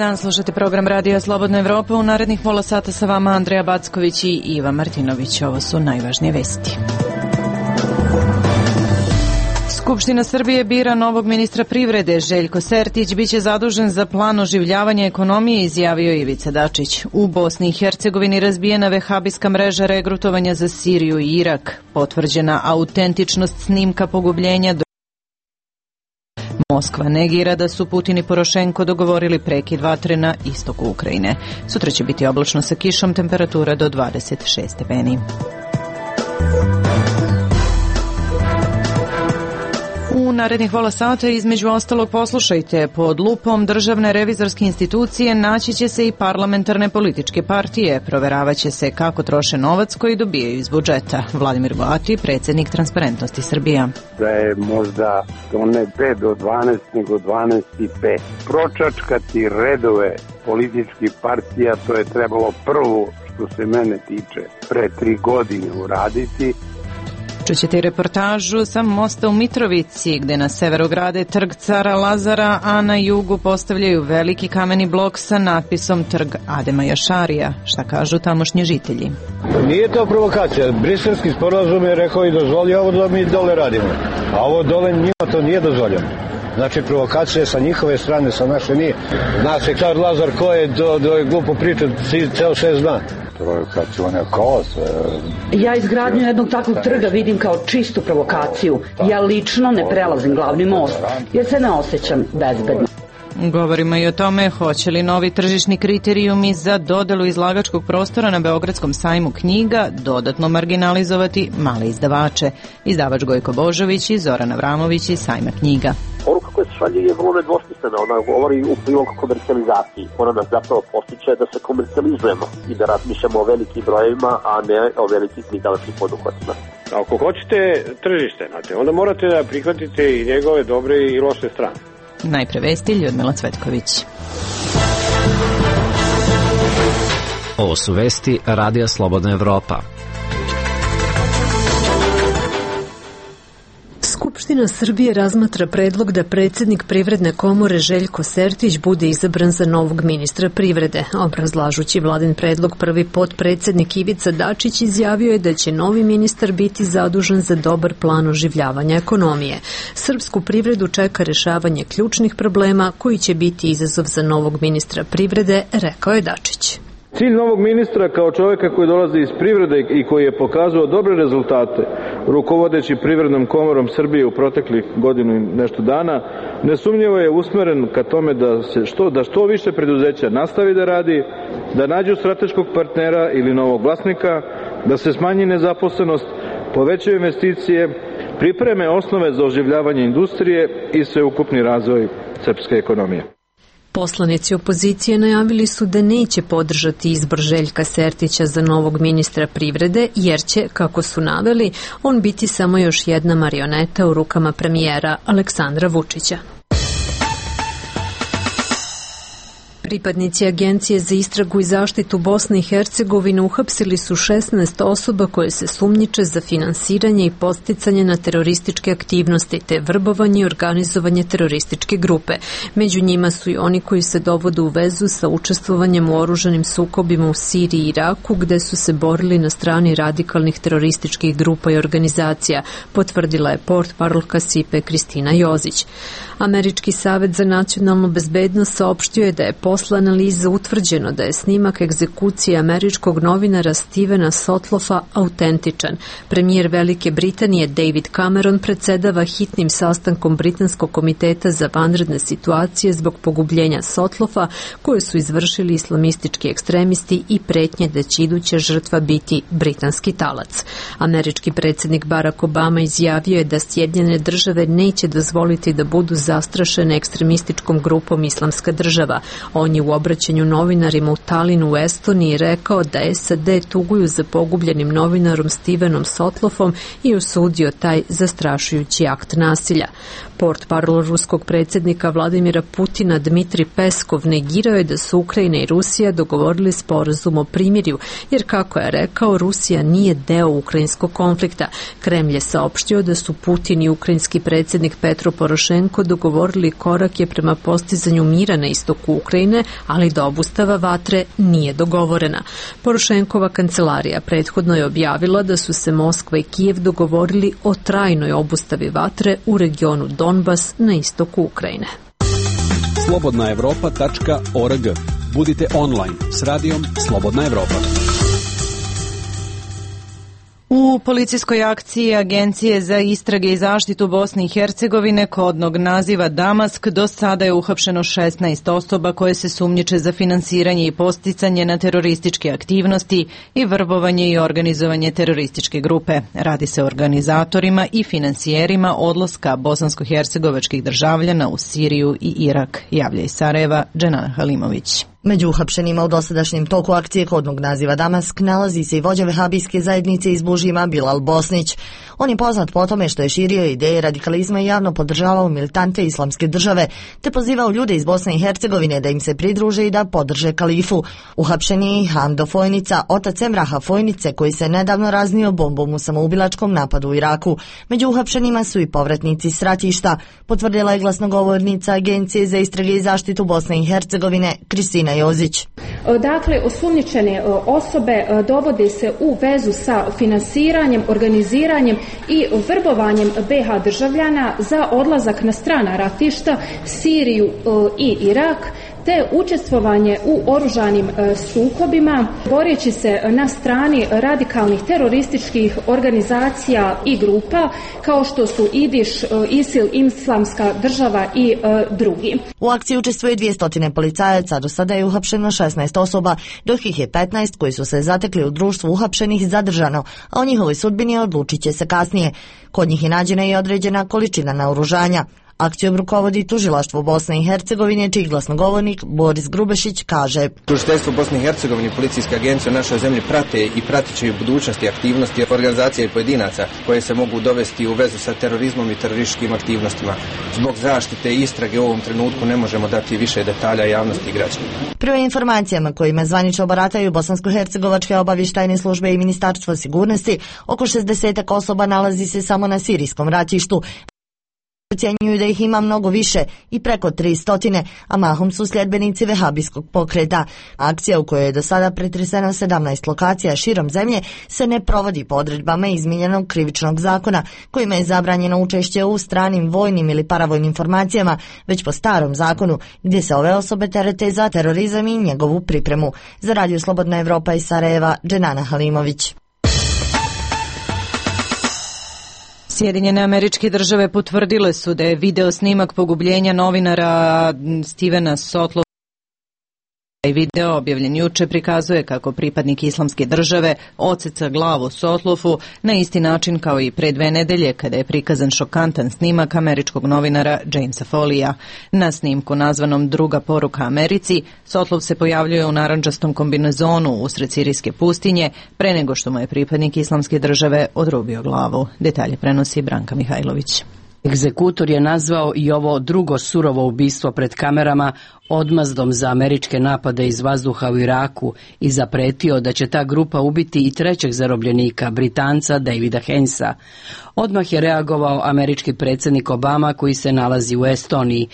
dan, slušate program Radija Slobodna Evropa. U narednih pola sata sa vama Andreja Backović i Iva Martinović. Ovo su najvažnije vesti. Skupština Srbije bira novog ministra privrede. Željko Sertić biće zadužen za plan oživljavanja ekonomije, izjavio Ivica Dačić. U Bosni i Hercegovini razbijena vehabijska mreža regrutovanja za Siriju i Irak. Potvrđena autentičnost snimka pogubljenja. Moskva negira da su Putin i Porošenko dogovorili prekid vatre na istoku Ukrajine. Sutra će biti oblačno sa kišom, temperatura do 26 stepeni. U narednih pola sata između ostalog poslušajte: pod lupom Državne revizorske institucije naći će se i parlamentarne političke partije. Proveravaće se kako troše novac koji dobijaju iz budžeta. Vladimir Goati, predsjednik Transparentnosti Srbija. Da je možda ne 5 do 12, nego 12 i 5. Pročačkati redove političkih partija, to je trebalo prvo, što se mene tiče, pre 3 godine uraditi. Čućete i reportažu sa mosta u Mitrovici, gde na severu grade Trg Cara Lazara, a na jugu postavljaju veliki kameni blok sa natpisom Trg Adema Jašarija. Šta kažu tamošnji žitelji? Nije to provokacija. Briselski sporazum je rekao i dozvolio ovo da mi dole radimo. A ovo dole njima to nije dozvoljeno. Znači provokacija sa njihove strane, sa naše nije. Zna se Car Lazar ko je do glupo pričati ceo 6 dana. Ja izgradnju jednog takvog trga vidim kao čistu provokaciju. Ja lično ne prelazim glavni most jer se ne osjećam bezbedno. Govorimo i o tome hoće li novi tržišni kriterijumi za dodelu izlagačkog prostora na Beogradskom sajmu knjiga dodatno marginalizovati male izdavače. Izdavač Gojko Božović i Zoran Avramović iz sajma knjiga. Poruka koja se šalje je vrlo nedvosmislena, ona govori u prilog komercijalizaciji. Ona nas zapravo postiče da se komercijalizujemo i da razmišljamo o velikim brojevima, a ne o velikim izdavačkim poduhvatima. Ako hoćete tržište, onda morate da prihvatite i njegove dobre i loše strane. Najpre vesti, Ljudmila Cvetković. Ovo su vesti Radija Slobodna Evropa. Skupština Srbije razmatra predlog da predsjednik Privredne komore Željko Sertić bude izabran za novog ministra privrede. Obrazlažući vladin predlog, prvi potpredsjednik Ivica Dačić izjavio je da će novi ministar biti zadužen za dobar plan oživljavanja ekonomije. Srpsku privredu čeka rješavanje ključnih problema koji će biti izazov za novog ministra privrede, rekao je Dačić. Cilj novog ministra kao čovjeka koji dolazi iz privrede i koji je pokazao dobre rezultate rukovodeći Privrednom komorom Srbije u proteklih godinu i nešto dana, nesumnjivo je usmeren ka tome da što više preduzeća nastavi da radi, da nađu strateškog partnera ili novog vlasnika, da se smanji nezaposlenost, povećaju investicije, pripreme osnove za oživljavanje industrije i sveukupni razvoj srpske ekonomije. Poslanici opozicije najavili su da neće podržati izbor Željka Sertića za novog ministra privrede, jer će, kako su naveli, on biti samo još jedna marioneta u rukama premijera Aleksandra Vučića. Pripadnici Agencije za istragu i zaštitu Bosne i Hercegovine uhapsili su 16 osoba koje se sumnjiče za finansiranje i podsticanje na terorističke aktivnosti te vrbovanje i organizovanje terorističke grupe. Među njima su i oni koji se dovode u vezu sa učestvovanjem u oružanim sukobima u Siriji i Iraku, gde su se borili na strani radikalnih terorističkih grupa i organizacija, potvrdila je portparolka SIPE Kristina Jozić. Američki savet za nacionalnu bezbednost saopštio je da je posle analize utvrđeno da je snimak egzekucije američkog novinara Stevena Sotlofa autentičan. Premijer Velike Britanije David Cameron predsedava hitnim sastankom Britanskog komiteta za vanredne situacije zbog pogubljenja Sotlofa koje su izvršili islamistički ekstremisti i pretnje da će iduća žrtva biti britanski talac. Američki predsjednik Barack Obama izjavio je da Sjedinjene države neće dozvoliti da budu zastrašene ekstremističkom grupom Islamska država. On je u obraćanju novinarima u Talinu u Estoniji rekao da SAD tuguju za pogubljenim novinarom Stevenom Sotlofom i osudio taj zastrašujući akt nasilja. Portparol ruskog predsjednika Vladimira Putina Dmitri Peskov negirao je da su Ukrajina i Rusija dogovorili sporazum o primirju, jer kako je rekao, Rusija nije deo ukrajinskog konflikta. Kremlj je saopštio da su Putin i ukrajinski predsjednik Petro Porošenko dogovorili korake prema postizanju mira na istoku Ukrajine, ali da obustava vatre nije dogovorena. Porošenkova kancelarija prethodno je objavila da su se Moskva i Kijev dogovorili o trajnoj obustavi vatre u regionu Donbas na istoku Ukrajine. Slobodnaevropa.org. Budite online s radijom Slobodna Evropa. U policijskoj akciji Agencije za istrage i zaštitu Bosne i Hercegovine kodnog naziva Damask do sada je uhapšeno 16 osoba koje se sumnjiče za finansiranje i posticanje na terorističke aktivnosti i vrbovanje i organizovanje terorističke grupe. Radi se o organizatorima i finansijerima odlaska bosansko-hercegovačkih državljana u Siriju i Irak, javlja iz Sarajeva Dženana Halimović. Među uhapšenima u dosadašnjem toku akcije kodnog naziva Damask nalazi se i vođa vehabijske zajednice iz Bužima Bilal Bosnić. On je poznat po tome što je širio ideje radikalizma i javno podržavao militante islamske države, te pozivao ljude iz Bosne i Hercegovine da im se pridruže i da podrže kalifu. Uhapšeni je Hamdo Fojnica, otac Emraha Fojnice, koji se nedavno raznio bombom u samoubilačkom napadu u Iraku. Među uhapšenima su i povratnici s ratišta, potvrdila je glasnogovornica Agencije za istrage i zaštitu Bosne i Hercegovine Kristina Jozić. Dakle, osumnjičene osobe dovode se u vezu sa finansiranjem, organiziranjem i vrbovanjem BiH državljana za odlazak na strana ratišta, Siriju i Irak, te učestvovanje u oružanim sukobima, boreći se na strani radikalnih terorističkih organizacija i grupa kao što su IDIŠ, ISIL, Islamska država i drugi. U akciji učestvuje 200 policajaca, do sada je uhapšeno 16 osoba, dok ih je 15 koji su se zatekli u društvu uhapšenih zadržano, a o njihovoj sudbini odlučit će se kasnije. Kod njih je nađena i određena količina naoružanja. Akcijom rukovodi Tužilaštvo Bosne i Hercegovine, čiji glasnogovornik Boris Grubešić kaže: Tužiteljstvo Bosne i Hercegovine i policijske agencije u našoj zemlji prate i pratit će u budućnosti aktivnosti organizacija i pojedinaca koje se mogu dovesti u vezu sa terorizmom i terorističkim aktivnostima. Zbog zaštite i istrage u ovom trenutku ne možemo dati više detalja javnosti i građanima. Prema informacijama kojima zvanično barataju bosansko-hercegovačke obavještajne službe i Ministarstvo sigurnosti, oko 60 osoba nalazi se samo na sirijskom ratištu. Ocjenjuju da ih ima mnogo više i preko 300, a mahom su sljedbenici vehabijskog pokreta. Akcija u kojoj je do sada pretreseno 17 lokacija širom zemlje se ne provodi po odredbama izmijenjenog krivičnog zakona, kojima je zabranjeno učešće u stranim vojnim ili paravojnim formacijama, već po starom zakonu, gdje se ove osobe terete za terorizam i njegovu pripremu. Za Radio Slobodna Evropa iz Sarajeva, Dženana Halimović. Sjedinjene Američke Države potvrdile su da je video snimak pogubljenja novinara Stevena Sotlova i video objavljen juče prikazuje kako pripadnik Islamske države odseca glavu Sotlofu na isti način kao i pre 2 nedelje kada je prikazan šokantan snimak američkog novinara Jamesa Folija. Na snimku nazvanom Druga poruka Americi, Sotlov se pojavljuje u narandžastom kombinezonu usred sirijske pustinje pre nego što mu je pripadnik Islamske države odrubio glavu. Detalje prenosi Branka Mihajlović. Egzekutor je nazvao i ovo drugo surovo ubistvo pred kamerama odmazdom za američke napade iz vazduha u Iraku i zapretio da će ta grupa ubiti i 3. zarobljenika, Britanca Davida Hainesa. Odmah je reagovao američki predsjednik Obama koji se nalazi u Estoniji.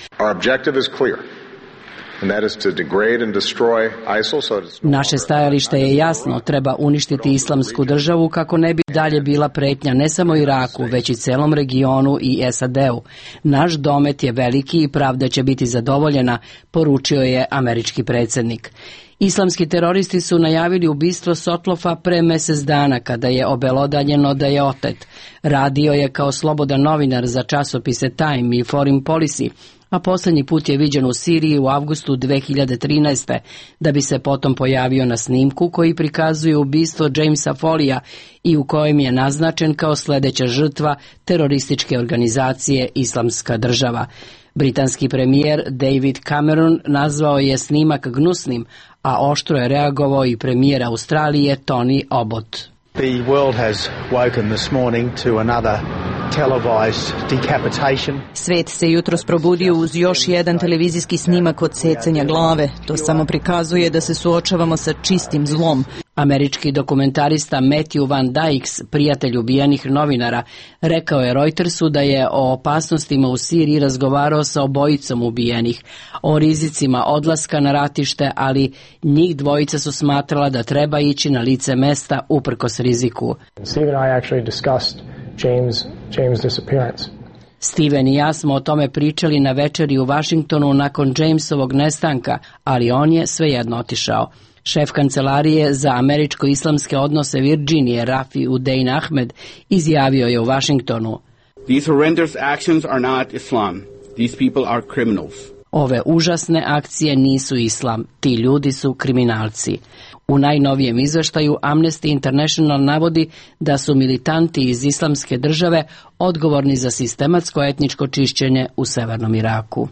Naše stajalište je jasno, treba uništiti Islamsku državu kako ne bi dalje bila pretnja ne samo Iraku, već i celom regionu i SAD-u. Naš domet je veliki i pravda će biti zadovoljena, poručio je američki predsjednik. Islamski teroristi su najavili ubistvo Sotlofa pre mjesec dana kada je obelodanjeno da je otet. Radio je kao slobodan novinar za časopise Time i Foreign Policy, a posljednji put je viđen u Siriji u avgustu 2013. da bi se potom pojavio na snimku koji prikazuje ubistvo Jamesa Folija i u kojem je naznačen kao sljedeća žrtva terorističke organizacije Islamska država. Britanski premijer David Cameron nazvao je snimak gnusnim, a oštro je reagovao i premijer Australije Tony Abbott. The world has woken this morning to another Svet se jutros probudio uz još jedan televizijski snimak odsecanja glave. To samo prikazuje da se suočavamo sa čistim zlom. Američki dokumentarista Matthew Van Dykes, prijatelj ubijenih novinara, rekao je Reutersu da je o opasnostima u Siriji razgovarao sa obojicom ubijenih, o rizicima odlaska na ratište, ali njih dvojica su smatrala da treba ići na lice mesta uprkos riziku. Steven i ja smo o tome pričali na večeri u Vašingtonu nakon Jamesovog nestanka, ali on je svejedno otišao. Šef kancelarije za američko-islamske odnose Virginije, Rafi Udein Ahmed, izjavio je u Vašingtonu: These horrendous actions are not Islam. These people are criminals. Ove užasne akcije nisu islam, ti ljudi su kriminalci. U najnovijem izveštaju Amnesty International navodi da su militanti iz Islamske države odgovorni za sistematsko etničko čišćenje u severnom Iraku.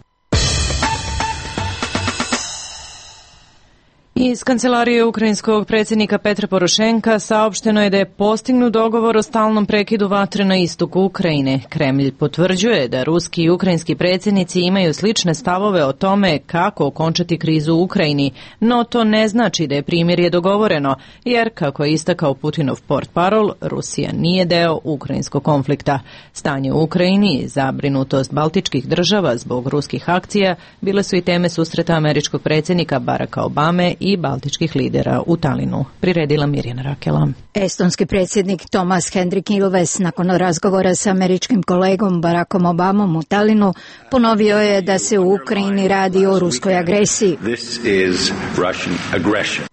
Iz kancelarije ukrajinskog predsjednika Petra Porošenka saopšteno je da je postignut dogovor o stalnom prekidu vatre na istoku Ukrajine. Kremlj potvrđuje da ruski i ukrajinski predsjednici imaju slične stavove o tome kako okončati krizu u Ukrajini, no to ne znači da je primirje dogovoreno, jer, kako je istakao Putinov portparol, Rusija nije deo ukrajinskog konflikta. Stanje u Ukrajini i zabrinutost baltičkih država zbog ruskih akcija bile su i teme susreta američkog predsjednika Baracka Obame i baltičkih lidera u Talinu. Priredila Mirjana Rakela. Estonski predsjednik Tomas Hendrik Ilves nakon razgovora sa američkim kolegom Barackom Obamom u Talinu ponovio je da se u Ukrajini radi o ruskoj agresiji.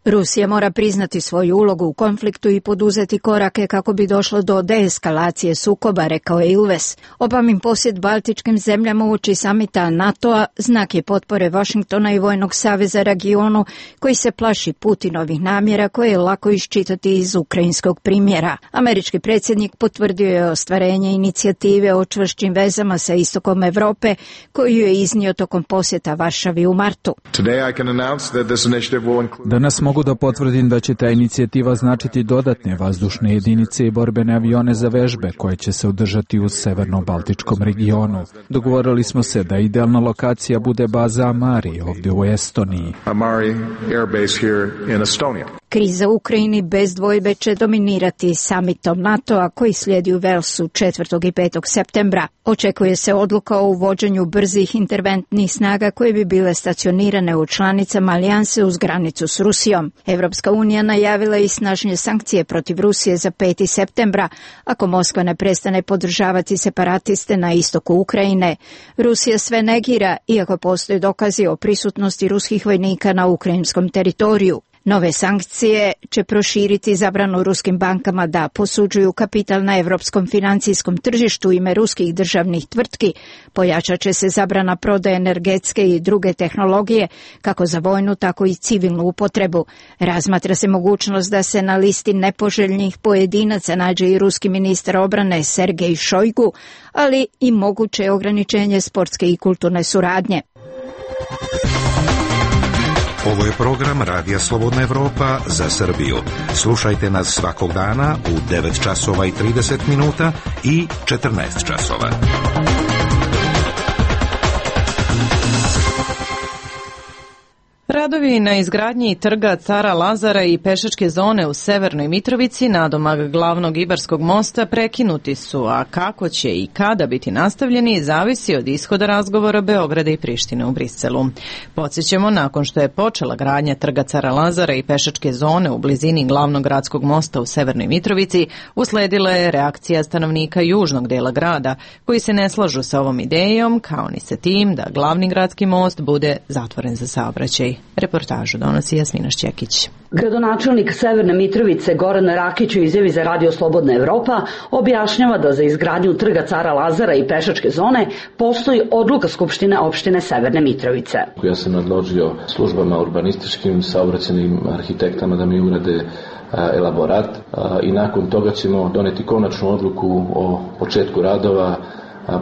Rusija mora priznati svoju ulogu u konfliktu i poduzeti korake kako bi došlo do deeskalacije sukoba, rekao je Ilves. Obamin posjet baltičkim zemljama uoči samita NATO-a znak je potpore Vašingtona i Vojnog saveza regionu koji se plaši Putinovih namjera koje je lako iščitati iz ukrajinskog primjera. Američki predsjednik potvrdio je ostvarenje inicijative o čvršćim vezama sa istokom Europe koju je iznio tokom posjeta Varšavi u martu. Danas mogu da potvrdim da će ta inicijativa značiti dodatne vazdušne jedinice i borbene avione za vežbe koje će se održati u severno-baltičkom regionu. Dogovorili smo se da idealna lokacija bude baza Amari ovdje u Estoniji. Kriza u Ukrajini bez dvojbe će dominirati samitom NATO-a koji slijedi u Velsu 4. i 5. septembra. Očekuje se odluka o uvođenju brzih interventnih snaga koje bi bile stacionirane u članicama alijanse uz granicu s Rusijom. Evropska unija najavila i snažnije sankcije protiv Rusije za 5. septembra ako Moskva ne prestane podržavati separatiste na istoku Ukrajine. Rusija sve negira, iako postoje dokazi o prisutnosti ruskih vojnika na ukrajinskom teritoriju. Nove sankcije će proširiti zabranu ruskim bankama da posuđuju kapital na evropskom financijskom tržištu u ime ruskih državnih tvrtki, pojačat će se zabrana prodaje energetske i druge tehnologije, kako za vojnu, tako i civilnu upotrebu. Razmatra se mogućnost da se na listi nepoželjnih pojedinaca nađe i ruski ministar obrane Sergej Šojgu, ali i moguće ograničenje sportske i kulturne suradnje. Ovo je program Radija Slobodna Evropa za Srbiju. Slušajte nas svakog dana u 9 časova i 30 minuta i 14 časova. Radovi na izgradnji trga Cara Lazara i pešačke zone u Severnoj Mitrovici nadomak glavnog Ibarskog mosta prekinuti su, a kako će i kada biti nastavljeni zavisi od ishoda razgovora Beograda i Prištine u Briselu. Podsjećamo, nakon što je počela gradnja trga Cara Lazara i pešačke zone u blizini glavnog gradskog mosta u Severnoj Mitrovici, usledila je reakcija stanovnika južnog dela grada, koji se ne slažu sa ovom idejom, kao ni sa tim da glavni gradski most bude zatvoren za saobraćaj. Reportažu donosi Jasmina Šćekić. Gradonačelnik Severne Mitrovice Goran Rakić u izjavi za Radio Slobodna Evropa objašnjava da za izgradnju trga Cara Lazara i pešačke zone postoji odluka Skupštine opštine Severne Mitrovice. Ja sam nadložio službama urbanističkim, saobraćajnim arhitektama da mi urade elaborat i nakon toga ćemo doneti konačnu odluku o početku radova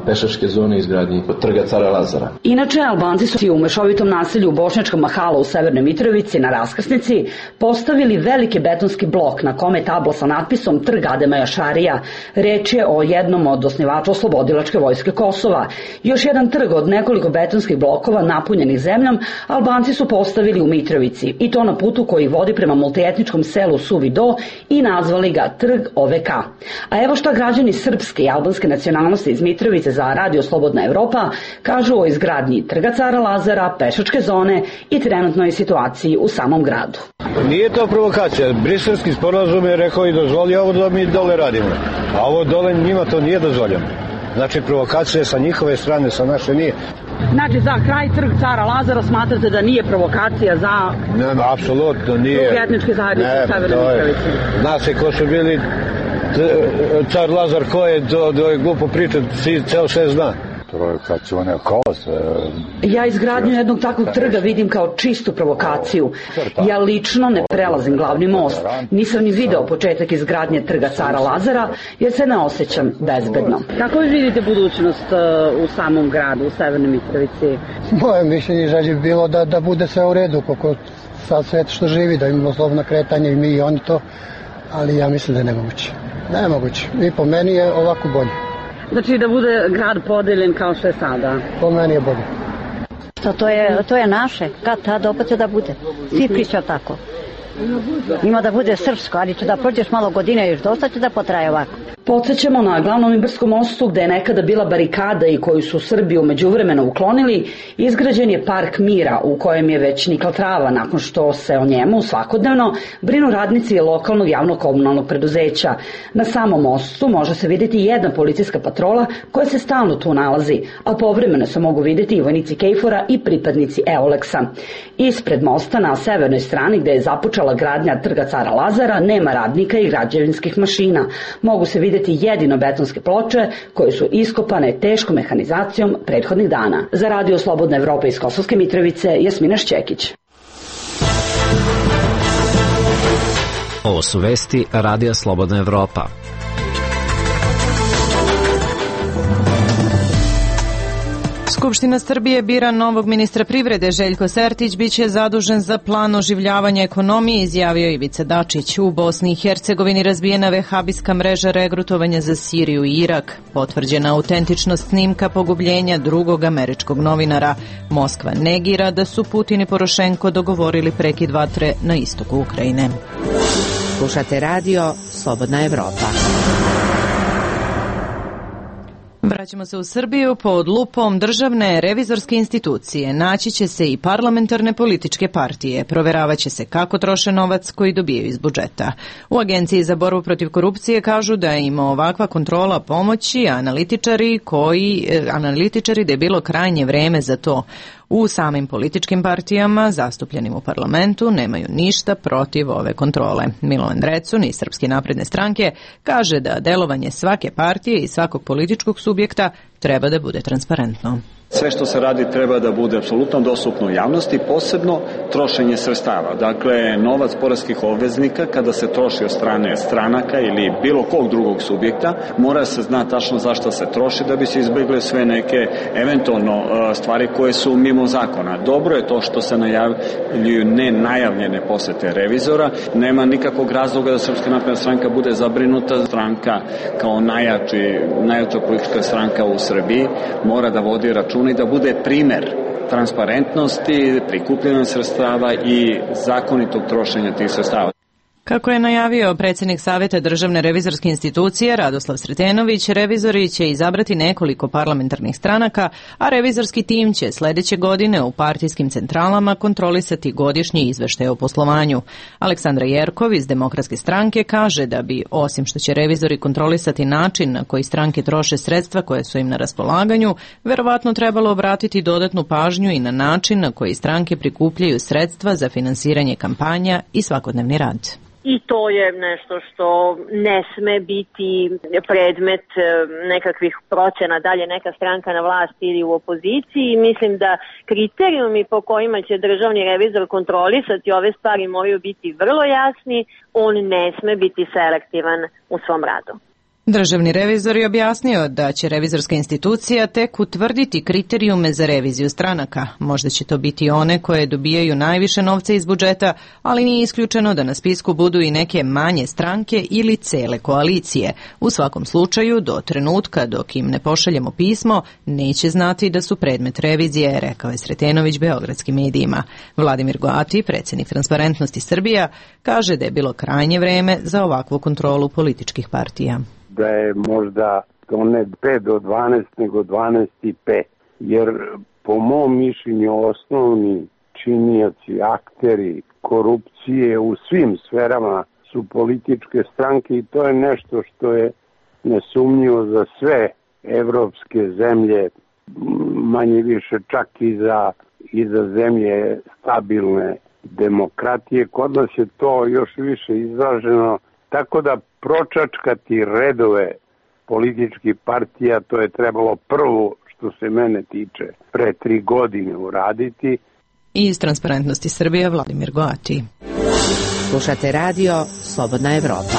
pešačke zone i izgradnji trga Cara Lazara. Inače, Albanci su u mešovitom naselju u Bošnjačkom Mahala u Severnoj Mitrovici na raskrsnici postavili veliki betonski blok na kome je tabla sa natpisom Trg Adema Jašarija. Reč je o jednom od osnivača Oslobodilačke vojske Kosova. Još jedan trg od nekoliko betonskih blokova napunjenih zemljom Albanci su postavili u Mitrovici i to na putu koji vodi prema multietničkom selu Suvi Do i nazvali ga Trg OVK. A evo šta građani srpske i albanske nacionalnosti iz Mitrovice za Radio Slobodna Evropa kažu o izgradnji Trga Cara Lazara, pešačke zone i trenutnoj situaciji u samom gradu. Nije to provokacija. Briselski sporazum je rekao i dozvolio ovo da mi dole radimo. A ovo dole njima to nije dozvoljeno. Znači provokacija sa njihove strane, sa naše nije. Znači za kraj Trg Cara Lazara smatrate da nije provokacija za... Ne, apsolutno nije. Drugi etnički zajednice u Severnoj Mitrovici. Zna se ko su bili Car Lazar, ko je, to je glupo pričat, ceo sve zna. Provokacione cose. Ja izgradnju jednog takvog trga vidim kao čistu provokaciju. Ja lično ne prelazim glavni most. Nisam ni video početak izgradnje Trga Cara Lazara jer se ne osjećam bezbedno. Kako vi vidite budućnost u samom gradu, u Severnoj Mitrovici? Moje mišljenje želje bi bilo da bude sve u redu, koliko sad svet što živi, da imamo slobodno kretanje i mi i oni to, ali ja mislim da je nemoguće. Nemoguće. I po meni je ovako bolje. Znači da bude grad podeljen kao što je sada? Po meni je bolje. To je naše. Kad tad opet će da bude. Svi pričaju tako. Ima da bude srpsko, ali će da prođeš malo godine još dosta će da potraje ovako. Podsećamo na glavnom Ibarskom mostu gde je nekada bila barikada i koju su Srbi u međuvremenu uklonili, izgrađen je park mira u kojem je već nikla trava nakon što se o njemu svakodnevno brinu radnici lokalnog javnog komunalnog preduzeća. Na samom mostu može se vidjeti jedna policijska patrola koja se stalno tu nalazi, a povremeno se mogu vidjeti i vojnici KFOR-a i pripadnici EOLEX-a. Ispred mosta na severnoj strani gde je započela gradnja Trga Cara Lazara nema radnika i građevinskih mašina. Mogu se vidjeti jedino betonske ploče koje su iskopane teškom mehanizacijom prethodnih dana. Za Radio Slobodna Evropa iz Kosovske Mitrovice, Jasmina Šćekić. Ovo su vesti Radija Slobodna Evropa. Skupština Srbije bira novog ministra privrede. Željko Sertić biće zadužen za plan oživljavanja ekonomije, izjavio Ivica Dačić. U Bosni i Hercegovini razbijena vehabijska mreža regrutovanja za Siriju i Irak. Potvrđena autentičnost snimka pogubljenja drugog američkog novinara. Moskva negira da su Putin i Porošenko dogovorili prekid vatre na istoku Ukrajine. Slušate radio Slobodna Evropa. Vraćamo se u Srbiju. Pod lupom državne revizorske institucije naći će se i parlamentarne političke partije. Proveravaće se kako troše novac koji dobijaju iz budžeta. U Agenciji za borbu protiv korupcije kažu da im ovakva kontrola pomoći, analitičari da je bilo krajnje vreme za to. U samim političkim partijama zastupljenim u parlamentu nemaju ništa protiv ove kontrole. Milovan Drecun iz Srpske napredne stranke kaže da delovanje svake partije i svakog političkog subjekta treba da bude transparentno. Sve što se radi treba da bude apsolutno dostupno u javnosti, posebno trošenje sredstava. Dakle, novac poreskih obveznika kada se troši od strane stranaka ili bilo kog drugog subjekta, mora se zna tačno zašto se troši da bi se izbjegle sve neke eventualno stvari koje su mimo zakona. Dobro je to što se najavljuju nenajavljene posete revizora. Nema nikakvog razloga da Srpska napredna stranka bude zabrinuta. Stranka kao najjača politička stranka u Srbiji mora da vodi račun i da bude primer transparentnosti, prikupljanja sredstava i zakonitog trošenja tih sredstava. Kako je najavio predsjednik Savjeta državne revizorske institucije Radoslav Sretenović, revizori će izabrati nekoliko parlamentarnih stranaka, a revizorski tim će sljedeće godine u partijskim centralama kontrolisati godišnji izveštaj o poslovanju. Aleksandra Jerkov iz Demokratske stranke kaže da bi, osim što će revizori kontrolisati način na koji stranke troše sredstva koje su im na raspolaganju, verovatno trebalo obratiti dodatnu pažnju i na način na koji stranke prikupljaju sredstva za finansiranje kampanja i svakodnevni rad. I to je nešto što ne sme biti predmet nekakvih procena, da li je neka stranka na vlasti ili u opoziciji. Mislim da kriterijumi po kojima će državni revizor kontrolisati ove stvari moraju biti vrlo jasni. On ne sme biti selektivan u svom radu. Državni revizor je objasnio da će revizorska institucija tek utvrditi kriterijume za reviziju stranaka. Možda će to biti one koje dobijaju najviše novca iz budžeta, ali nije isključeno da na spisku budu i neke manje stranke ili cele koalicije. U svakom slučaju, do trenutka dok im ne pošaljemo pismo, neće znati da su predmet revizije, rekao je Sretenović beogradskim medijima. Vladimir Goati, predsjednik Transparentnosti Srbija, kaže da je bilo krajnje vreme za ovakvu kontrolu političkih partija. Da je možda to ne 5 do 12, nego 12 i 5. Jer po mom mišljenju osnovni činioci, akteri korupcije u svim sferama su političke stranke i to je nešto što je nesumnjivo za sve evropske zemlje, manje više čak i za zemlje stabilne demokratije. Kod nas je to još više izraženo, tako da pročačkati redove političkih partija, to je trebalo prvo, što se mene tiče, pre 3 godine uraditi. Iz Transparentnosti Srbije, Vladimir Goati. Slušate radio Slobodna Evropa.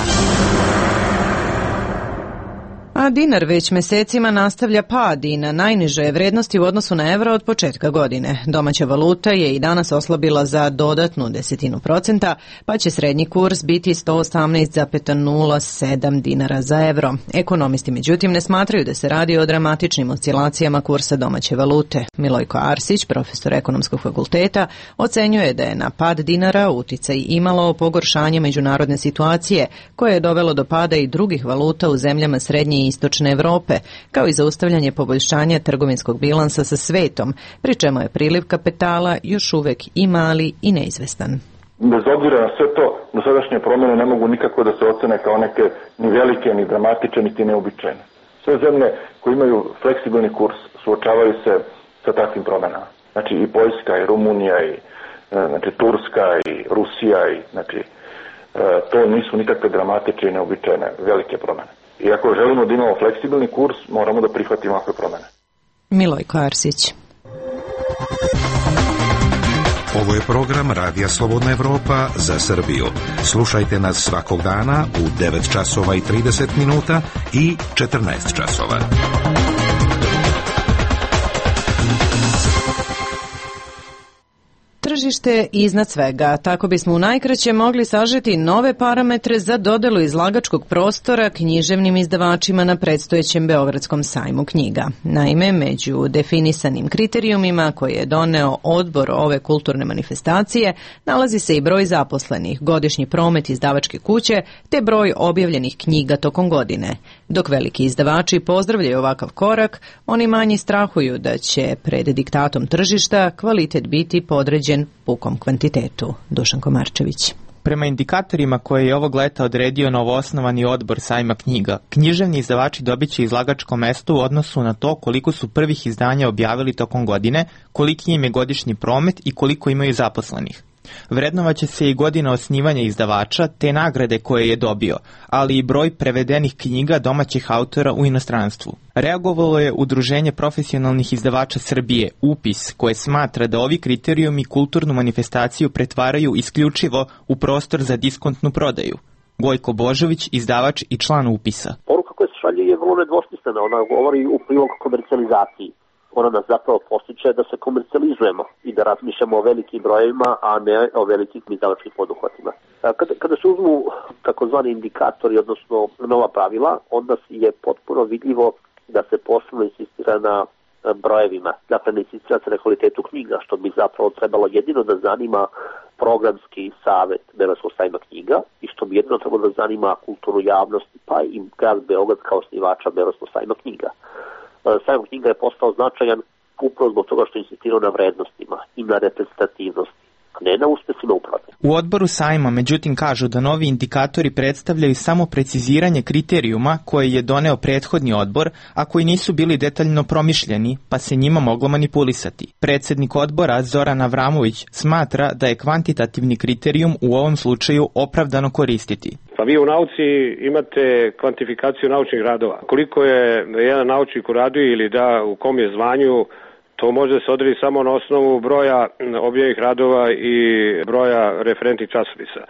A dinar već mesecima nastavlja pad i na najniže je vrednosti u odnosu na evro od početka godine. Domaća valuta je i danas oslabila za dodatnu 0,1%, pa će srednji kurs biti 118,07 dinara za evro. Ekonomisti međutim ne smatraju da se radi o dramatičnim oscilacijama kursa domaće valute. Milojko Arsić, profesor Ekonomskog fakulteta, ocenjuje da je na pad dinara uticaj imalo pogoršanje međunarodne situacije, koje je dovelo do pada i drugih valuta u zemljama srednje i istočne Evrope, kao i zaustavljanje poboljšanja trgovinskog bilansa sa svetom, pri čemu je priliv kapitala još uvek i mali i neizvestan. Bez obzira na sve to, dosadašnje promjene ne mogu nikako da se ocene kao neke ni velike, ni dramatične, niti neobičajne. Sve zemlje koje imaju fleksibilni kurs suočavaju se sa takvim promjenama. Znači i Poljska, i Rumunija, i Turska, i Rusija, to nisu nikakve dramatične i neobičajne velike promjene. I ako želimo da imamo fleksibilni kurs, moramo da prihvatimo ovakve promjene. Milojko Arsić. Ovo je program Radija Slobodna Evropa za Srbiju. Slušajte nas svakog dana u 9 časova i 30 minuta i 14 časova. Tržište iznad svega, tako bismo u najkraće mogli sažeti nove parametre za dodelu izlagačkog prostora književnim izdavačima na predstojećem Beogradskom sajmu knjiga. Naime, među definisanim kriterijumima koje je doneo odbor ove kulturne manifestacije nalazi se i broj zaposlenih, godišnji promet izdavačke kuće te broj objavljenih knjiga tokom godine. Dok veliki izdavači pozdravljaju ovakav korak, oni manji strahuju da će pred diktatom tržišta kvalitet biti podređen pukom kvantitetu. Dušan Komarčević. Prema indikatorima koje je ovog leta odredio novoosnovani odbor sajma knjiga, književni izdavači dobiće izlagačko mesto u odnosu na to koliko su prvih izdanja objavili tokom godine, koliki im je godišnji promet i koliko imaju zaposlenih. Vrednovaće se i godina osnivanja izdavača te nagrade koje je dobio, ali i broj prevedenih knjiga domaćih autora u inostranstvu. Reagovalo je Udruženje profesionalnih izdavača Srbije, UPIS, koje smatra da ovi kriterijumi kulturnu manifestaciju pretvaraju isključivo u prostor za diskontnu prodaju. Gojko Božović, izdavač i član UPIS-a. Poruka koja se šalje je vrlo nedvosmislena, ona govori u prilog komercijalizaciji. Ona nas zapravo postiče da se komercijalizujemo i da razmišljamo o velikim brojevima, a ne o velikim izdavačkim poduhvatima. Kada se uzmu takozvani indikatori, odnosno nova pravila, onda je potpuno vidljivo da se posebno insistira na brojevima. Dakle, ne insistira se na kvalitetu knjiga, što bi zapravo trebalo jedino da zanima programski savet Beogradskog sajma knjiga i što bi jedino trebalo da zanima kulturnu javnost, pa i grad Beograd kao osnivača Beogradskog sajma knjiga. Sajam knjiga je postao značajan upravo zbog toga što je insistirao na vrednostima i na reprezentativnosti, a ne na uspesima uprave. U odboru sajma međutim kažu da novi indikatori predstavljaju samo preciziranje kriterijuma koje je doneo prethodni odbor, a koji nisu bili detaljno promišljeni, pa se njima moglo manipulisati. Predsjednik odbora Zoran Avramović smatra da je kvantitativni kriterijum u ovom slučaju opravdano koristiti. Pa vi u nauci imate kvantifikaciju naučnih radova. Koliko je jedan naučnik uradio ili da u kom je zvanju, to može se odrediti samo na osnovu broja objavljenih radova i broja referentnih časopisa.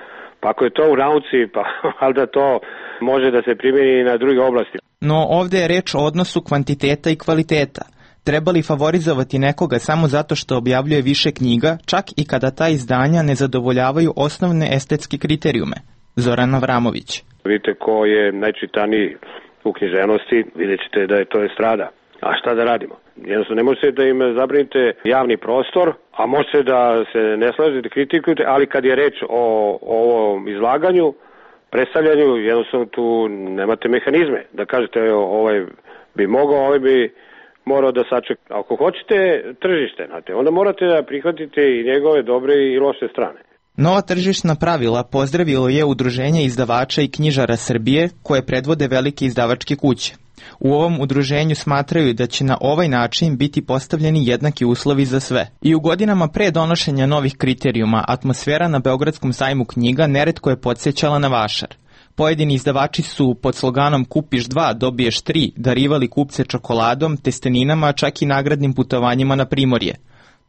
Pa ako je to u nauci, pa valjda to može da se primjeni i na druge oblasti. No ovde je reč o odnosu kvantiteta i kvaliteta. Treba li favorizovati nekoga samo zato što objavljuje više knjiga, čak i kada ta izdanja ne zadovoljavaju osnovne estetske kriterijume? Zoran Avramović. Vidite ko je najčitaniji u književnosti, vidjet ćete da je to estrada. A šta da radimo? Jednostavno ne možete da im zabranite javni prostor, a možete da se ne slažete, kritikujete, ali kad je reč o ovom izlaganju, predstavljanju, jednostavno tu nemate mehanizme. Da kažete ovaj bi mogao, ovaj bi morao da sačeka. Ako hoćete tržište, znate, onda morate da prihvatite i njegove dobre i loše strane. Nova tržišna pravila pozdravilo je Udruženje izdavača i knjižara Srbije, koje predvode velike izdavačke kuće. U ovom udruženju smatraju da će na ovaj način biti postavljeni jednaki uslovi za sve. I u godinama pre donošenja novih kriterijuma, atmosfera na Beogradskom sajmu knjiga neretko je podsjećala na vašar. Pojedini izdavači su pod sloganom Kupiš 2, dobiješ 3 darivali kupce čokoladom, testeninama, čak i nagradnim putovanjima na Primorje.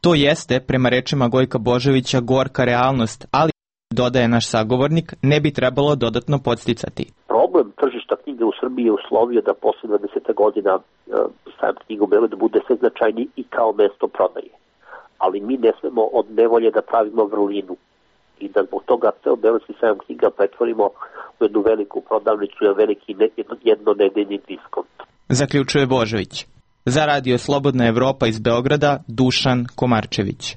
To jeste, prema rečima Gojka Božovića, gorka realnost, ali, dodaje naš sagovornik, ne bi trebalo dodatno podsticati. Problem tržišta knjige u Srbiji je uslovio da posle 20 godina sajam knjiga u Beogradu bude sve značajniji i kao mesto prodaje. Ali mi ne smemo od nevolje da pravimo vrlinu i da zbog toga ceo Beogradski sajam knjiga pretvorimo u jednu veliku prodavnicu i veliki jednonedeljni diskont. Zaključuje Božović. Za Radio Slobodna Evropa iz Beograda, Dušan Komarčević.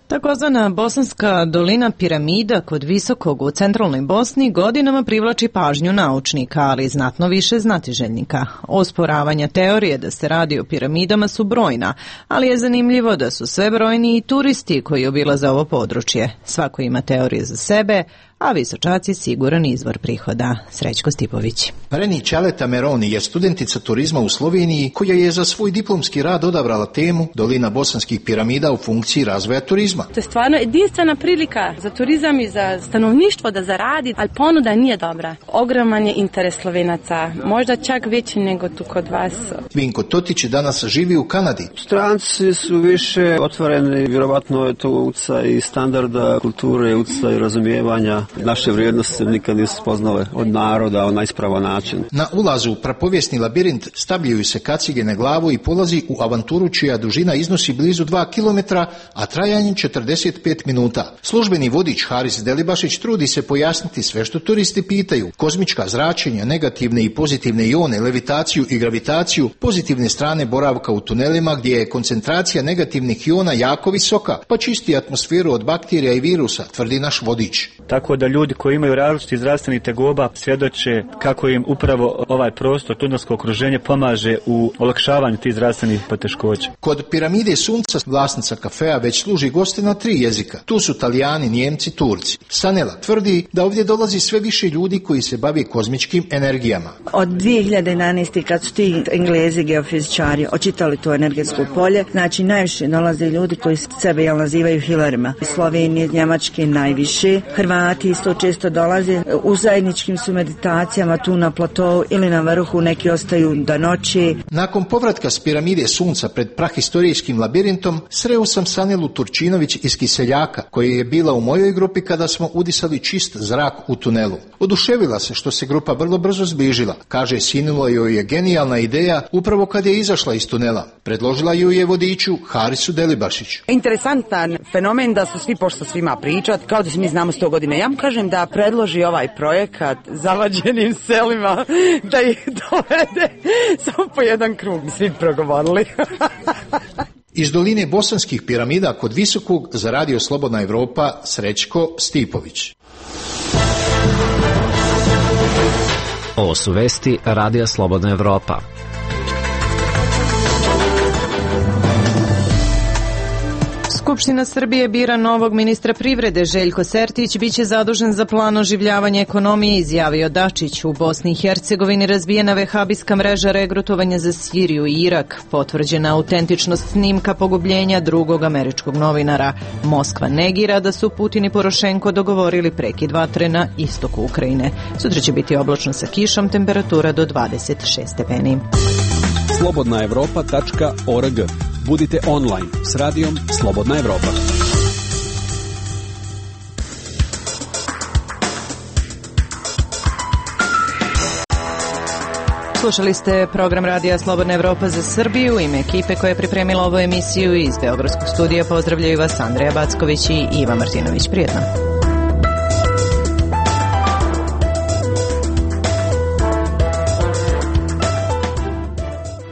Takozvana Bosanska dolina piramida kod Visokog u centralnoj Bosni godinama privlači pažnju naučnika, ali znatno više znatiželjnika. Osporavanja teorije da se radi o piramidama su brojna, ali je zanimljivo da su sve brojni i turisti koji obilaze ovo područje. Svako ima teorije za sebe, a Visočaci siguran izvor prihoda. Srećko Stipović. Reni Čaleta Meroni je studentica turizma u Sloveniji koja je za svoj diplomski rad odabrala temu Dolina bosanskih piramida u funkciji razvoja turizma. To je stvarno jedinstvena prilika za turizam i za stanovništvo da zaradi, ali ponuda nije dobra. Ogroman je interes Slovenaca, možda čak veći nego tu kod vas. Vinko Totić danas živi u Kanadi. Stranci su više otvoreni, vjerovatno je to utjecaj i standarda kulture, utjecaj razumijevanja. Naše vrijednosti nikad nisu spoznale od naroda na ispravan način. Na ulazu u prapovjesni labirint stavljaju se kacige na glavu i polazi u avanturu čija dužina iznosi blizu 2 km, a trajanje 45 minuta. Službeni vodič Haris Delibašić trudi se pojasniti sve što turisti pitaju. Kozmička zračenja, negativne i pozitivne ione, levitaciju i gravitaciju, pozitivne strane boravka u tunelima gdje je koncentracija negativnih iona jako visoka, pa čisti atmosferu od bakterija i virusa, tvrdi naš vodič. Tako da ljudi koji imaju različiti zdravstveni tegoba svjedoče kako im upravo ovaj prostor, tunelsko okruženje pomaže u olakšavanju tih zdravstvenih poteškoća. Kod piramide Sunca vlasnica kafea već služi goste na 3 jezika. Tu su Talijani, Njemci, Turci. Sanela tvrdi da ovdje dolazi sve više ljudi koji se bavi kozmičkim energijama. Od 2011. kad su ti Englezi geofizičari očitali to energetsko polje, znači najviše dolaze ljudi koji sebe nazivaju hilerima. Slovenije, Njemačke najviše, Hrvati isto često dolaze, u zajedničkim su meditacijama tu na platovu ili na vrhu, neki ostaju do noći. Nakon povratka s piramide Sunca pred prahistorijskim labirintom, sreo sam Sanelu Turčinović iz Kiseljaka, koja je bila u mojoj grupi kada smo udisali čist zrak u tunelu. Oduševila se što se grupa vrlo brzo zbližila. Kaže, sinilo joj je genijalna ideja upravo kad je izašla iz tunela. Predložila ju je vodiču Harisu Delibašić. Interesantan fenomen da su svi, pošto svima pričat, kao da se mi znamo 100 godina. Ja mu kažem da predloži ovaj projekat zavađenim selima, da ih dovede samo po jedan krug, svi progovorili. Iz doline bosanskih piramida kod Visokog za Radio Slobodna Evropa Srećko Stipović. Ovo su vesti Radija Slobodna Evropa. Skupština Srbije bira novog ministra privrede. Željko Sertić biće zadužen za plan oživljavanja ekonomije, izjavio Dačić. U Bosni i Hercegovini razbijena vehabijska mreža regrutovanja za Siriju i Irak. Potvrđena autentičnost snimka pogubljenja drugog američkog novinara. Moskva negira da su Putin i Porošenko dogovorili prekid vatre na istoku Ukrajine. Sutra će biti oblačno sa kišom, temperatura do 26 stepeni. Slobodnaevropa.org Budite online s radijom Slobodna Evropa. Slušali ste program Radija Slobodna Evropa za Srbiju. U ime ekipe koja je pripremila ovu emisiju iz Beogradskog studija pozdravljaju vas Andreja Backović i Iva Martinović. Prijetno.